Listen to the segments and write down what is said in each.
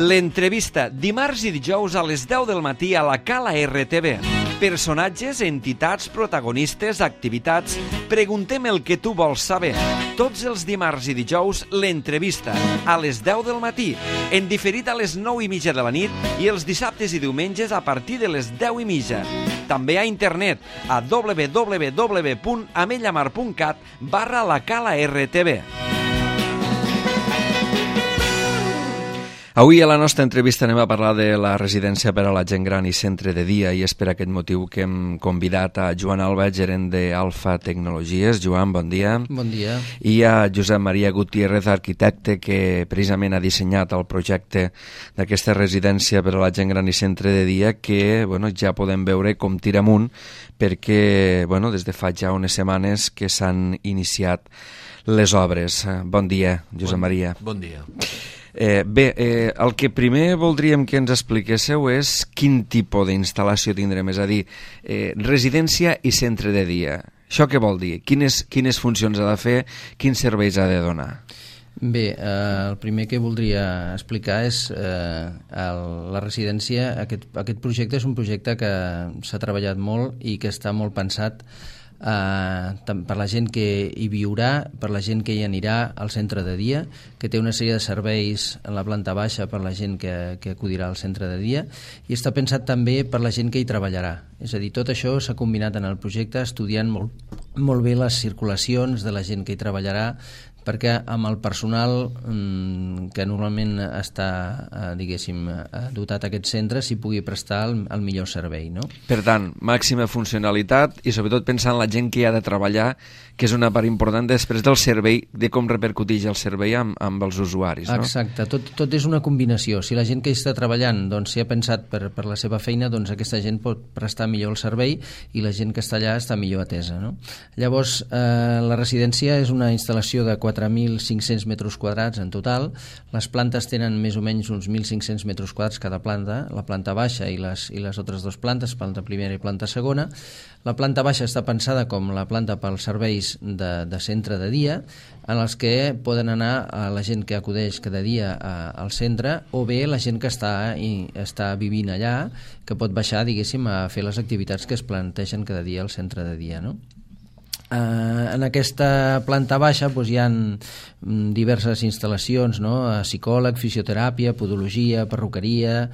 L'entrevista dimarts i dijous a les 10 del matí a la Cala RTV. Personatges, entitats, protagonistes, activitats. Preguntem el que tu vols saber. Tots els dimarts i dijous, l'entrevista a les 10 del matí, en diferit a les 9:30 de la nit i els dissabtes i diumenges a partir de les 10:30. També a internet a www.amellamar.cat/la Cala RTV. Avui a la nostra entrevista anem a parlar de la residència per a la gent gran i centre de dia, i és per aquest motiu que hem convidat a Joan Alba, gerent d'Alfa Tecnologies. Joan, bon dia. Bon dia. I a Josep Maria Gutiérrez, arquitecte, que precisament ha dissenyat el projecte d'aquesta residència per a la gent gran i centre de dia, que ja podem veure com tira amunt, perquè des de fa ja unes setmanes que s'han iniciat les obres. Bon dia, Josep Maria. Bon dia. El que primer voldríem que ens expliquéssiu és quin tipus d'instal·lació tindrem, és a dir, residència i centre de dia. Això què vol dir? Quines funcions ha de fer? Quins serveis ha de donar? Bé, el primer que voldria explicar és la residència. Aquest projecte és un projecte que s'ha treballat molt i que està molt pensat per la gent que hi viurà, per la gent que hi anirà al centre de dia, que té una sèrie de serveis en la planta baixa per la gent que acudirà al centre de dia, i està pensat també per la gent que hi treballarà. És a dir, tot això s'ha combinat en el projecte, estudiant molt bé les circulacions de la gent que hi treballarà, perquè amb el personal que normalment està, dotat a aquest centre, s'hi pugui prestar el millor servei, no? Per tant, màxima funcionalitat i sobretot pensar en la gent que hi ha de treballar, que és una part important després del servei, de com repercuteix el servei amb els usuaris, no? Exacte, tot és una combinació. Si la gent que hi està treballant s'hi ha pensat per la seva feina, doncs aquesta gent pot prestar millor el servei i la gent que està allà està millor atesa, no? Llavors, la residència és una instal·lació de 4.500 metres quadrats en total. Les plantes tenen més o menys uns 1.500 metres quadrats cada planta, la planta baixa i les altres dues plantes, planta primera i planta segona. La planta baixa està pensada com la planta pels serveis de centre de dia, en els que poden anar la gent que acudeix cada dia al centre, o bé la gent que està vivint allà, que pot baixar, a fer les activitats que es plantegen cada dia al centre de dia, no? En aquesta planta baixa hi ha diverses instal·lacions, no? Psicòleg, fisioteràpia, podologia, perruqueria,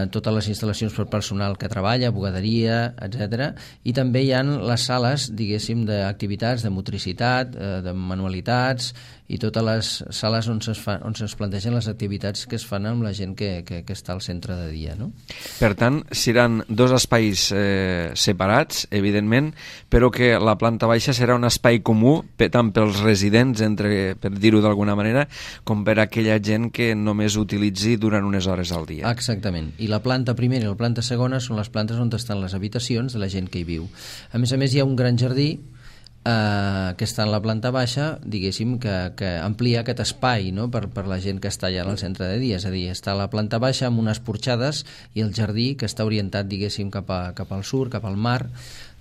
totes les instal·lacions per personal que treballa, bugaderia, etc. I també hi ha les sales, d'activitats, de motricitat, de manualitats, i totes les sales on es plantegen les activitats que es fan amb la gent que està al centre de dia, no? Per tant, seran dos espais separats, evidentment, però que la planta baixa serà un espai comú tant pels residents, per dir-ho d'alguna manera, com per aquella gent que només utilitzi durant unes hores al dia. Exactament. I la planta primera i la planta segona són les plantes on estan les habitacions de la gent que hi viu. A més, hi ha un gran jardí que està en la planta baixa, que amplia aquest espai, no? per la gent que està allà al centre de dia. És a dir, està a la planta baixa amb unes porxades i el jardí que està orientat, cap al sud, cap al mar.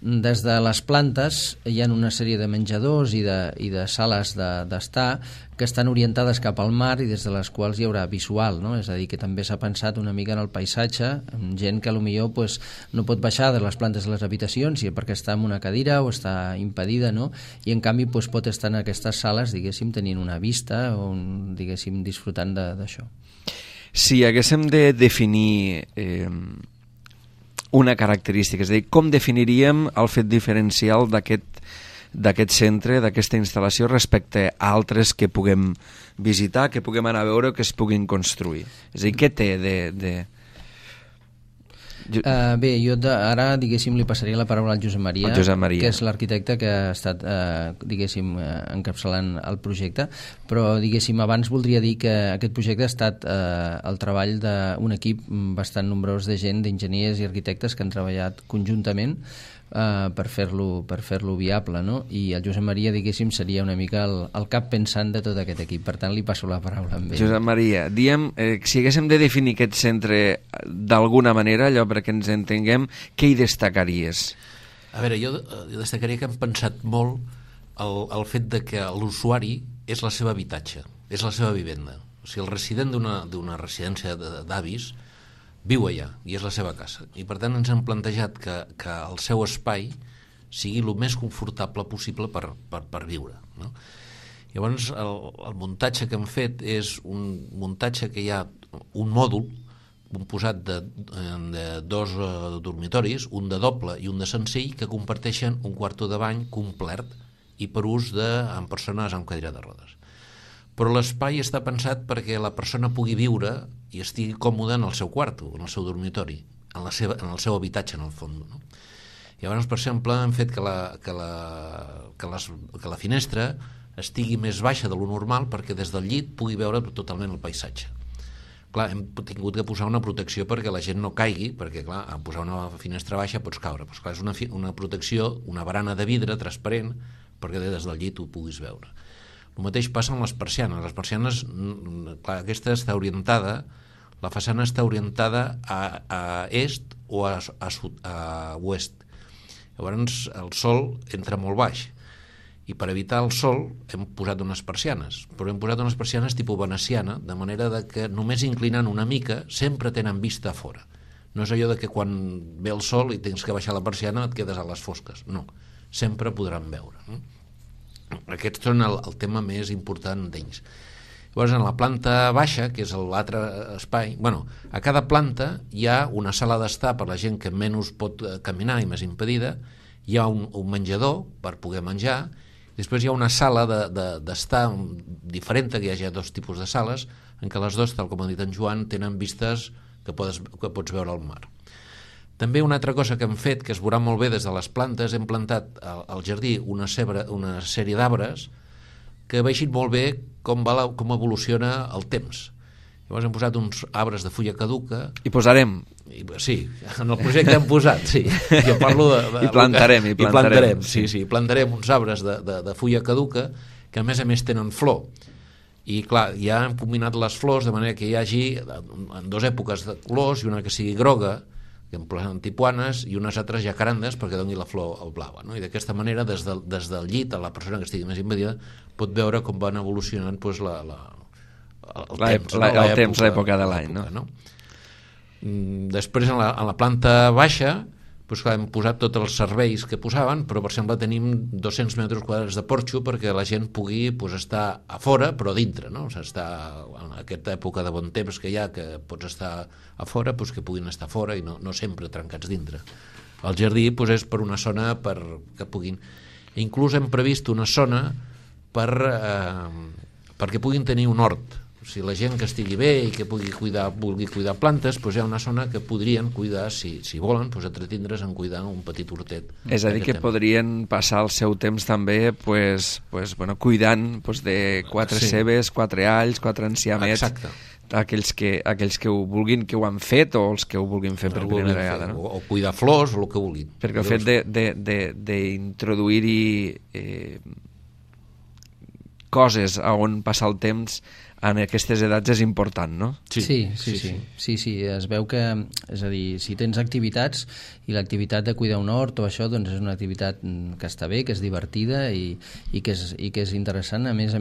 Des de les plantes hi ha una sèrie de menjadors i de sales d'estar que estan orientades cap al mar i des de les quals hi haurà visual, no? És a dir, que també s'ha pensat una mica en el paisatge, amb gent que potser no pot baixar de les plantes a les habitacions perquè està en una cadira o està impedida, no? I en canvi pot estar en aquestes sales, tenint una vista o, disfrutant d'això. Si haguéssim de definir una característica, és a dir, com definiríem el fet diferencial d'aquest centre, d'aquesta instal·lació respecte a altres que puguem visitar, que puguem anar a veure o que es puguin construir? És a dir, què té de... Bé, jo ara, li passaria la paraula al Josep Maria, que és l'arquitecte que ha estat, encapçalant el projecte, però, abans voldria dir que aquest projecte ha estat el treball d'un equip bastant nombrós de gent, d'enginyers i arquitectes que han treballat conjuntament per fer-lo viable, no? I el Josep Maria, seria una mica el cap pensant de tot aquest equip. Per tant, li passo la paraula amb ell. Josep Maria, si haguéssim de definir aquest centre d'alguna manera, allò perquè ens entenguem, què hi destacaries? A veure, jo destacaria que hem pensat molt el fet de que l'usuari és la seva habitatge, és la seva vivenda. O sigui, el resident d'una residència d'avis viu allà, i és la seva casa. I per tant ens hem plantejat que el seu espai sigui el més confortable possible per viure, no? Llavors, el muntatge que hem fet és un muntatge que hi ha un mòdul composat de dos dormitoris, un de doble i un de senzill, que comparteixen un quarto de bany complet i per ús amb persones amb cadira de rodes. Però l'espai està pensat perquè la persona pugui viure i estigui còmode en el seu quarto, en el seu dormitori, en el seu habitatge, en el fons, no? Llavors, per exemple, hem fet que la finestra estigui més baixa de lo normal perquè des del llit pugui veure totalment el paisatge. Clar, hem tingut que posar una protecció perquè la gent no caigui, perquè, clar, a posar una finestra baixa pots caure. Però, clar, és una protecció, una barana de vidre transparent, perquè des del llit ho puguis veure. El mateix passa amb les persianes. Les persianes, clar, aquesta està orientada, la façana està orientada a est o a oest. Llavors el sol entra molt baix i per evitar el sol hem posat unes persianes, però hem posat unes persianes tipus veneciana, de manera que només inclinant una mica sempre tenen vista a fora. No és allò de que quan ve el sol i tens que baixar la persiana et quedes a les fosques. No, sempre podran veure, no? Aquests són el tema més important d'ells. Llavors, en la planta baixa, que és l'altre espai, a cada planta hi ha una sala d'estar per la gent que menys pot caminar i més impedida, hi ha un menjador per poder menjar, després hi ha una sala d'estar diferent, que hi hagi dos tipus de sales, en què les dues, tal com ha dit en Joan, tenen vistes que pots veure al mar. També una altra cosa que hem fet, que es veurà molt bé des de les plantes, hem plantat al jardí una sèrie d'arbres que vegin molt bé com evoluciona el temps. Llavors hem posat uns arbres de fulla caduca. I posarem. Sí, en el projecte hem posat, sí. Jo parlo I plantarem. Sí, plantarem uns arbres de fulla caduca que a més tenen flor. I clar, ja hem combinat les flors de manera que hi hagi en dues èpoques de colors, i una que sigui groga, que en planten tipuanes, i unes altres jacarandes perquè doni la flor al blava, no? I d'aquesta manera, des del llit, a la persona que estigui més impedida pot veure com van evolucionant l'època de l'any, no? Després, en la planta baixa, hem posat tots els serveis que posaven, però per exemple tenim 200 metres quadrats de porxo perquè la gent pugui estar a fora, però dintre, no? En aquesta època de bon temps que hi ha, que pots estar a fora, que puguin estar a fora i no sempre trencats dintre. El jardí és per una zona que puguin... Inclús hem previst una zona perquè puguin tenir un hort. O sigui, la gent que estigui bé i que vulgui cuidar plantes, hi ha una zona que podrien cuidar, si volen, entretindre's en cuidar un petit hortet. És a dir, que podrien passar el seu temps també cuidant de 4 cebes, 4 alls, 4 enciamets. Exacte. Aquells que ho vulguin, que ho han fet, o els que ho vulguin fer per primera vegada, no? O cuidar flors, o el que vulguin. Perquè el fet d'introduir-hi coses on passar el temps en aquestes edats és important, no? Sí. Es veu que, és a dir, si tens activitats i l'activitat de cuidar un hort o això, doncs és una activitat que està bé, que és divertida i que és interessant. A més,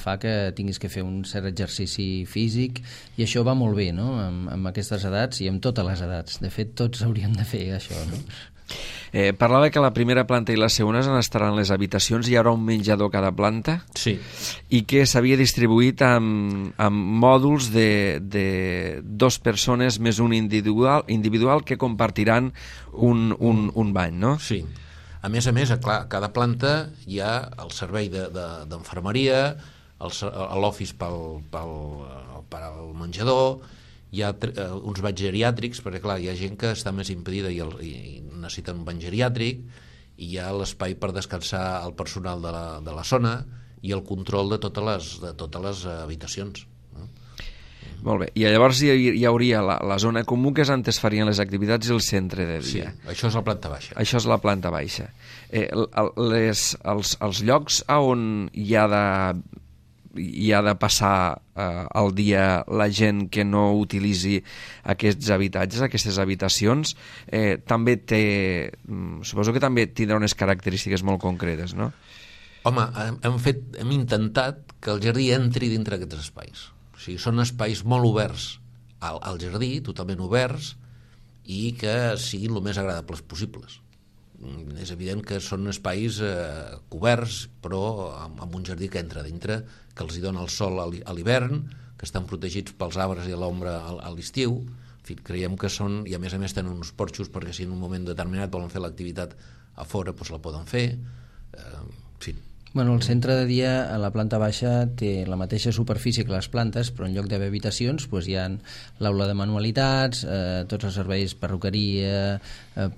fa que tinguis que fer un cert exercici físic i això va molt bé, no? Amb aquestes edats i amb totes les edats. De fet, tots hauríem de fer això, no? Parlava que la primera planta i la segona estaran les habitacions, hi haurà un menjador a cada planta, sí, i que s'havia distribuït amb mòduls de 2 persones més un individual que compartiran un bany, no? Sí. A més, clar, a cada planta hi ha el servei d'enfermeria, l'office pel menjador, hi ha uns banys geriàtrics, perquè clar, hi ha gent que està més impedida i necessita un bany geriàtric, i hi ha l'espai per descansar el personal de la zona i el control de totes les habitacions. Molt bé, i llavors hi hauria la zona comú, que és on es farien les activitats, i el centre de dia. Sí, això és la planta baixa. Això és la planta baixa. Els llocs on hi ha de passar el dia la gent que no utilitzi aquests habitatges, aquestes habitacions, també suposo que també tindrà unes característiques molt concretes, no? Home, hem intentat que el jardí entri dintre d'aquests espais. O sigui, són espais molt oberts al jardí, totalment oberts, i que siguin el més agradables possibles. És evident que són espais coberts, però amb un jardí que entra dintre, que els hi dona el sol a l'hivern, que estan protegits pels arbres i l'ombra a l'estiu. En fi, creiem que són, i a més tenen uns porxos perquè si en un moment determinat volen fer l'activitat a fora, doncs la poden fer. En fi. Bueno, el centre de dia a la planta baixa té la mateixa superfície que les plantes, però en lloc d'haver habitacions hi ha l'aula de manualitats, tots els serveis perruqueria,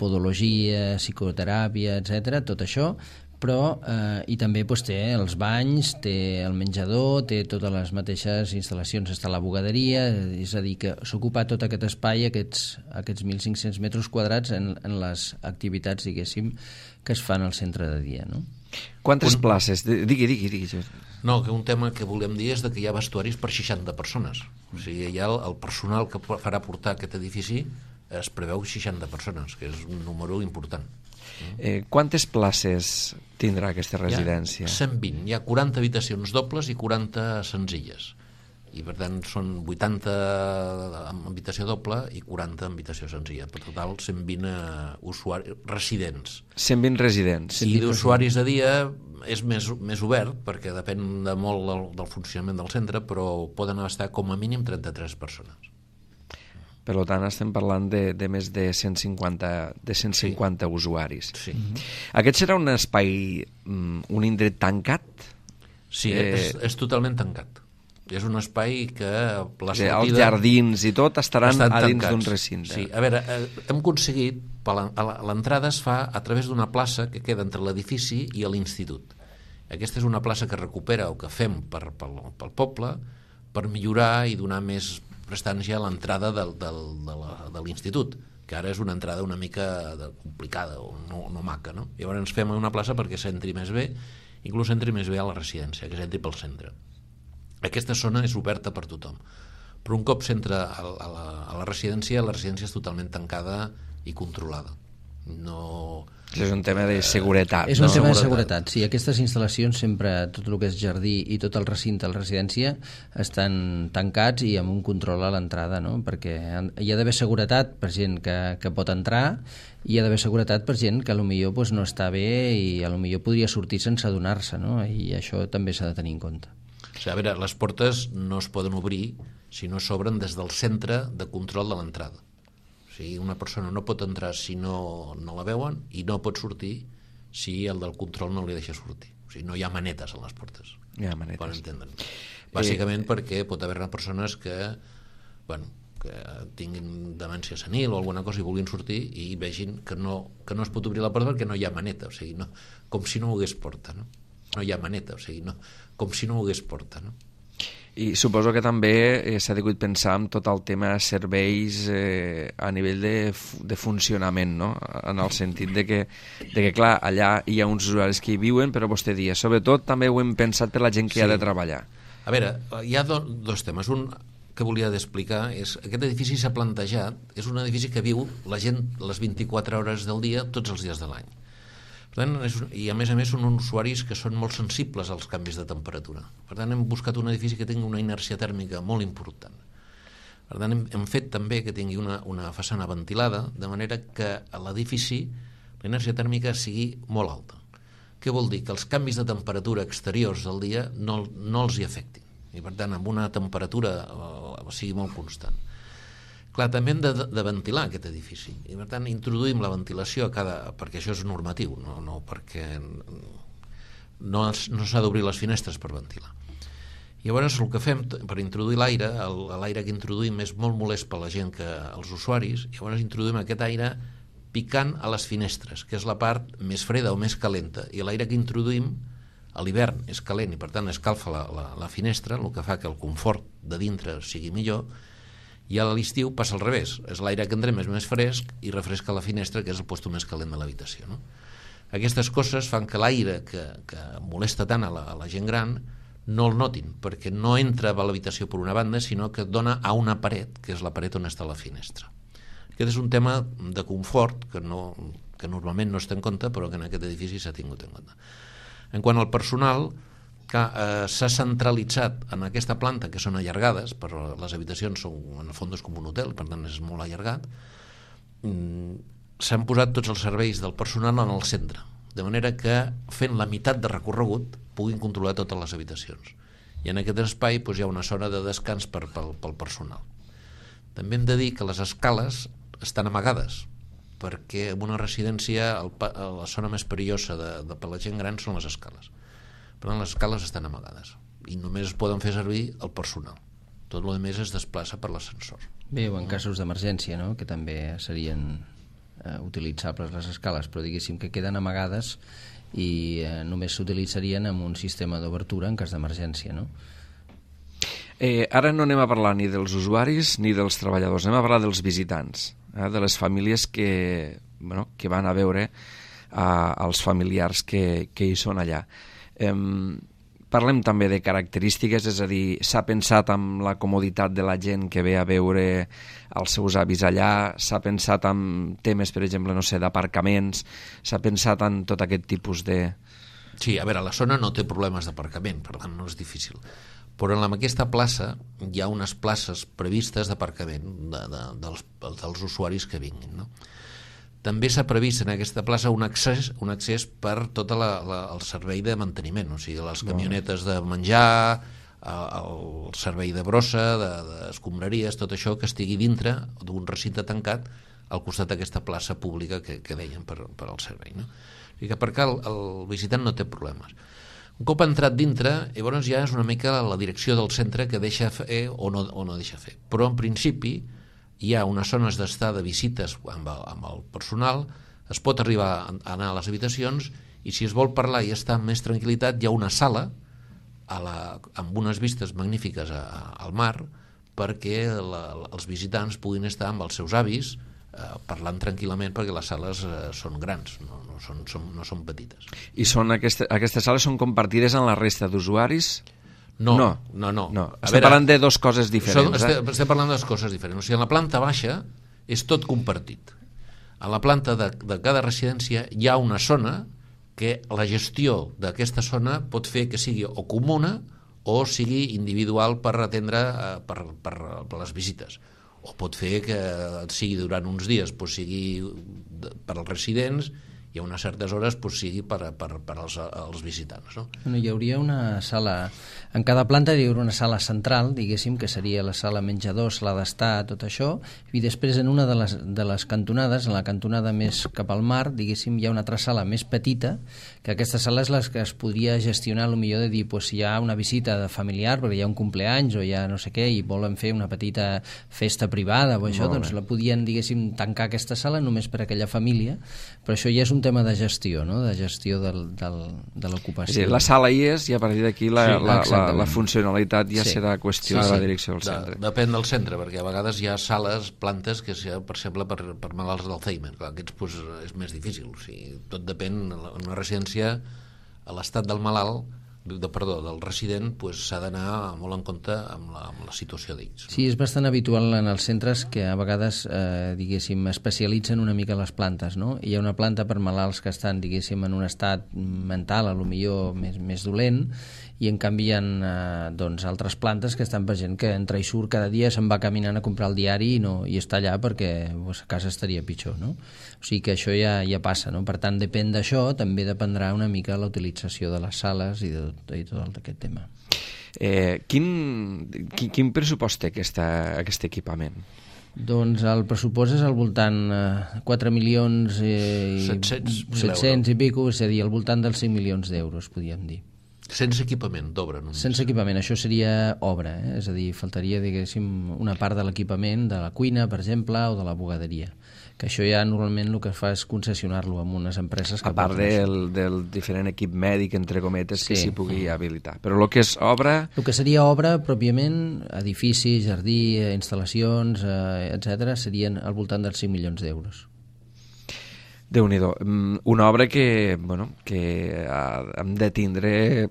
podologia, psicoteràpia, etc. tot això, però i també té els banys, té el menjador, té totes les mateixes instal·lacions, està la bugaderia, és a dir, que s'ocupa tot aquest espai, aquests 1.500 metres quadrats en les activitats, diguéssim, que es fan al centre de dia, no? Quantes places? Digui. No, que un tema que volem dir és que hi ha vestuaris per 60 persones. O sigui, hi ha el personal que farà portar aquest edifici, es preveu 60 persones, que és un número important. Quantes places tindrà aquesta residència? 120. Hi ha 40 habitacions dobles i 40 senzilles. I per tant són 80 amb habitació doble i 40 amb habitació senzilla. Per total 120 usuaris residents. 120 residents. I d'usuaris de dia és més obert perquè depèn de molt del funcionament del centre, però poden estar com a mínim 33 persones. Per tant, estem parlant de més de 150 usuaris. Sí. Aquest serà un espai, un indret tancat? Sí, és totalment tancat. És un espai que la sortida... Els jardins i tot estaran a dins d'un recinte. Sí, a veure, hem aconseguit... L'entrada es fa a través d'una plaça que queda entre l'edifici i l'institut. Aquesta és una plaça que recupera o que fem pel poble per millorar i donar més prestància a l'entrada de l'institut, que ara és una entrada una mica complicada o no maca, no? Llavors ens fem una plaça perquè s'entri més bé, inclús s'entri més bé a la residència, que s'entri pel centre. Aquesta zona és oberta per tothom, però un cop s'entra a la residència és totalment tancada i controlada. No... És un tema de seguretat. És un tema de seguretat, sí. Aquestes instal·lacions sempre, tot el que és jardí i tot el recinte de la residència estan tancats i amb un control a l'entrada, no? Perquè hi ha d'haver seguretat per gent que pot entrar i hi ha d'haver seguretat per gent que potser no està bé i potser podria sortir sense adonar-se, no? I això també s'ha de tenir en compte. O sigui, a veure, les portes no es poden obrir si no s'obren des del centre de control de l'entrada. O sigui, una persona no pot entrar si no la veuen i no pot sortir si el del control no li deixa sortir. O sigui, no hi ha manetes a les portes. Hi ha manetes. Per entendre'ns. Bàsicament perquè pot haver-hi persones que tinguin demència senil o alguna cosa i vulguin sortir i vegin que no es pot obrir la porta perquè no hi ha maneta. O sigui, no, com si no ho hagués porta, no? No hi ha maneta, o sigui, no, com si no ho hagués porta, no? I suposo que també s'ha degut pensar en tot el tema de serveis a nivell de funcionament, no? En el sentit de que clar, allà hi ha uns usuaris que hi viuen, però vostè dia, sobretot també ho hem pensat per la gent que hi ha de treballar. A veure, hi ha dos temes. Un que volia d'explicar és aquest edifici s'ha plantejat, és un edifici que viu la gent les 24 hores del dia, tots els dies de l'any. Per tant, i a més són uns usuaris que són molt sensibles als canvis de temperatura. Per tant, hem buscat un edifici que tingui una inèrcia tèrmica molt important. Per tant, hem fet també que tingui una façana ventilada, de manera que a l'edifici la inèrcia tèrmica sigui molt alta. Què vol dir? Que els canvis de temperatura exteriors del dia no els hi afectin. I per tant, amb una temperatura sigui molt constant. Clar, també hem de ventilar aquest edifici i per tant introduïm la ventilació perquè això és normatiu, no perquè no s'ha d'obrir les finestres per ventilar. I llavors el que fem per introduir l'aire, l'aire que introduïm és molt molest per la gent, els usuaris, i llavors introduïm aquest aire picant a les finestres, que és la part més freda o més calenta, i l'aire que introduïm a l'hivern és calent i per tant escalfa la finestra, el que fa que el confort de dintre sigui millor. I a l'estiu passa al revés, és l'aire que entrem és més fresc i refresca la finestra, que és el lloc més calent de l'habitació, no? Aquestes coses fan que l'aire que molesta tant a la gent gran no el notin, perquè no entra a l'habitació per una banda, sinó que dona a una paret, que és la paret on està la finestra. Aquest és un tema de confort que normalment no es té en compte, però que en aquest edifici s'ha tingut en compte. En quant al personal, S'ha centralitzat en aquesta planta, que són allargades, però les habitacions són, en el fons és com un hotel, per tant és molt allargat. S'han posat tots els serveis del personal en el centre, de manera que fent la meitat de recorregut puguin controlar totes les habitacions. I en aquest espai hi ha una zona de descans pel personal. També hem de dir que les escales estan amagades, perquè en una residència la zona més perillosa per la gent gran són les escales. Per tant, les escales estan amagades i només es poden fer servir el personal. Tot el més es desplaça per l'ascensor. Bé, o en casos d'emergència, no?, que també serien utilitzables les escales, però diguéssim que queden amagades i només s'utilitzarien amb un sistema d'obertura en cas d'emergència, no? Ara no anem a parlar ni dels usuaris ni dels treballadors, anem a parlar dels visitants, de les famílies que van a veure els familiars que hi són allà. Parlem també de característiques, és a dir, s'ha pensat en la comoditat de la gent que ve a veure els seus avis allà, s'ha pensat en temes, per exemple, no sé, d'aparcaments, s'ha pensat en tot aquest tipus de... Sí, a veure, la zona no té problemes d'aparcament, per tant no és difícil. Però en aquesta plaça hi ha unes places previstes d'aparcament dels usuaris que vinguin, no? També s'ha previst en aquesta plaça un accés per tot el servei de manteniment, o sigui, les camionetes de menjar, el servei de brossa, d'escombraries, tot això que estigui dintre d'un recinte tancat al costat d'aquesta plaça pública que dèiem per al servei, no? O sigui que per què el visitant no té problemes. Un cop entrat dintre, llavors ja és una mica la direcció del centre que deixa fer o no deixa fer. Però en principi hi ha unes zones d'estar de visites amb el personal, es pot arribar a anar a les habitacions i si es vol parlar i estar amb més tranquil·litat hi ha una sala amb unes vistes magnífiques al mar perquè els visitants puguin estar amb els seus avis parlant tranquil·lament perquè les sales són grans, no són petites. I aquestes sales són compartides amb la resta d'usuaris? No. Estem parlant de dues coses diferents. Estem parlant de dues coses diferents. O sigui, en la planta baixa és tot compartit. A la planta de cada residència hi ha una zona que la gestió d'aquesta zona pot fer que sigui o comuna o sigui individual per atendre per les visites. O pot fer que sigui durant uns dies, sigui per als residents i a unes certes hores sigui per als visitants, no? Bueno, hi hauria una sala, en cada planta hi hauria una sala central, diguéssim, que seria la sala menjador, sala d'estar, tot això, i després en una de les cantonades, en la cantonada més cap al mar, diguéssim, hi ha una altra sala més petita, que aquesta sala és la que es podria gestionar, millor de dir, si hi ha una visita de familiar, perquè hi ha un cumpleaños o hi ha no sé què, i volen fer una petita festa privada o això, doncs la podien, diguéssim, tancar aquesta sala només per a aquella família, però això ja és un tema de gestió, no?, de gestió de l'ocupació. Sí, la sala hi és i a partir d'aquí la funcionalitat ja serà qüestió de la direcció del centre. Depèn del centre, perquè a vegades hi ha sales, plantes, que per exemple per malalts d'Alzheimer, aquests és més difícil, o sigui, tot depèn, en una residència a l'estat del malalt del resident s'ha d'anar molt en compte amb la situació d'ells. Sí, és bastant habitual en els centres que a vegades, diguéssim, especialitzen una mica les plantes, no? Hi ha una planta per malalts que estan, diguéssim, en un estat mental, a lo millor més dolent, i en canvi hi ha altres plantes que estan per gent que entra i surt cada dia, se'n va caminant a comprar el diari i està allà perquè a casa estaria pitjor, no? O sigui que això ja passa, no? Per tant, depèn d'això, també dependrà una mica la utilització de les sales i tot aquest tema. Quin pressupost té aquest equipament? Doncs el pressupost és al voltant 4.700.000 i pico, és a dir, al voltant dels 5 milions d'euros, podríem dir. Sense equipament d'obra només. Sense equipament, això seria obra, és a dir, faltaria, diguéssim, una part de l'equipament de la cuina, per exemple, o de la bugaderia, que això ja normalment el que fa és concessionar-lo amb unes empreses que... A part del diferent equip mèdic, entre cometes, que s'hi pugui habilitar. Però el que és obra... El que seria obra, pròpiament, edifici, jardí, instal·lacions, etc., serien al voltant dels 5 milions d'euros. Déu-n'hi-do. Una obra que hem de tindre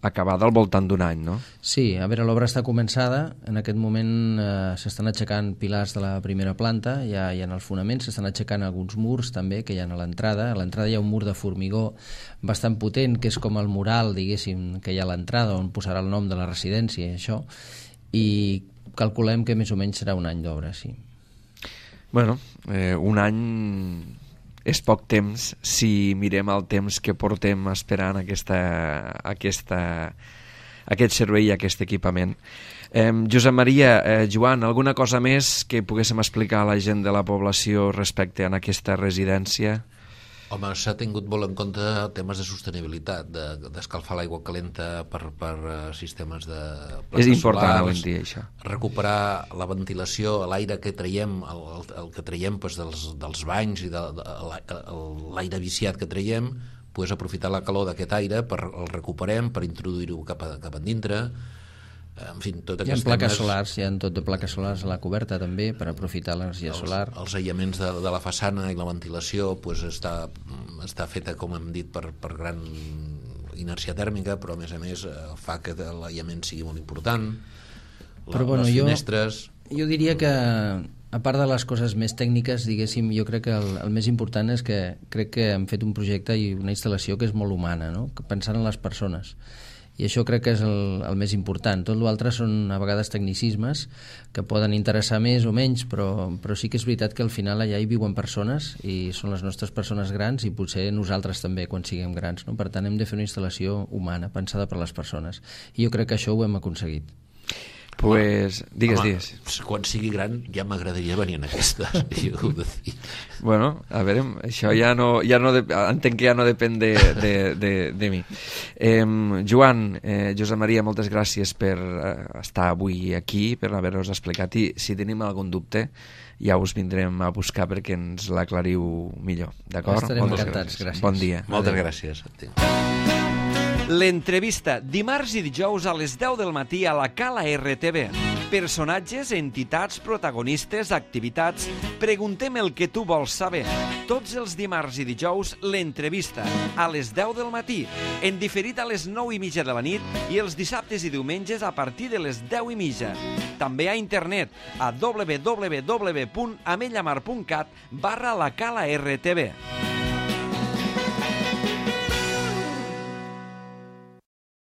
acabada al voltant d'un any, no? Sí, a veure, l'obra està començada. En aquest moment s'estan aixecant pilars de la primera planta, ja hi ha els fonaments, s'estan aixecant alguns murs també que hi ha a l'entrada. A l'entrada hi ha un mur de formigó bastant potent, que és com el mural, diguéssim, que hi ha a l'entrada, on posarà el nom de la residència i això, i calculem que més o menys serà un any d'obra, sí. Bueno, un any és poc temps si mirem el temps que portem esperant aquest servei i aquest equipament. Josep Maria, Joan, alguna cosa més que poguéssim explicar a la gent de la població respecte a aquesta residència? Home, s'ha tingut molt en compte temes de sostenibilitat, d'escalfar l'aigua calenta per sistemes de plantes és important solars, avui en dia, això. recuperar la ventilació, l'aire que traiem, el que traiem dels banys i l'aire viciat que traiem, aprofitar la calor d'aquest aire, el recuperem per introduir-ho cap endintre. En fi, tot hi ha plaques solars, hi ha tot de plaques solars a la coberta també per aprofitar l'energia solar. Els aïllaments de la façana i la ventilació està feta, com hem dit, per gran inèrcia tèrmica, però a més fa que l'aïllament sigui molt important. Les finestres... Jo diria que, a part de les coses més tècniques, diguéssim, jo crec que el més important és que crec que hem fet un projecte i una instal·lació que és molt humana, no? Pensant en les persones. I això crec que és el més important. Tot l'altre són a vegades tecnicismes que poden interessar més o menys, però sí que és veritat que al final allà hi viuen persones i són les nostres persones grans i potser nosaltres també quan siguem grans, no? Per tant hem de fer una instal·lació humana, pensada per les persones. I jo crec que això ho hem aconseguit. Pues, digues. Quan sigui gran ja m'agradaria venir en aquesta. Bueno, a veure, això entenc que ja no depèn de mi. Joan, Josep Maria, moltes gràcies per estar avui aquí, per haver-nos explicat, i si tenim algun dubte ja us vindrem a buscar perquè ens l'aclariu millor, d'acord? Estarem encantats, gràcies. Bon dia. Moltes gràcies. L'entrevista, dimarts i dijous a les 10 del matí a la Cala RTV. Personatges, entitats, protagonistes, activitats... Preguntem el que tu vols saber. Tots els dimarts i dijous, l'entrevista, a les 10 del matí, en diferit a les 9:30 de la nit i els dissabtes i diumenges a partir de les 10:30. També a internet a www.amellamar.cat/la Cala RTV.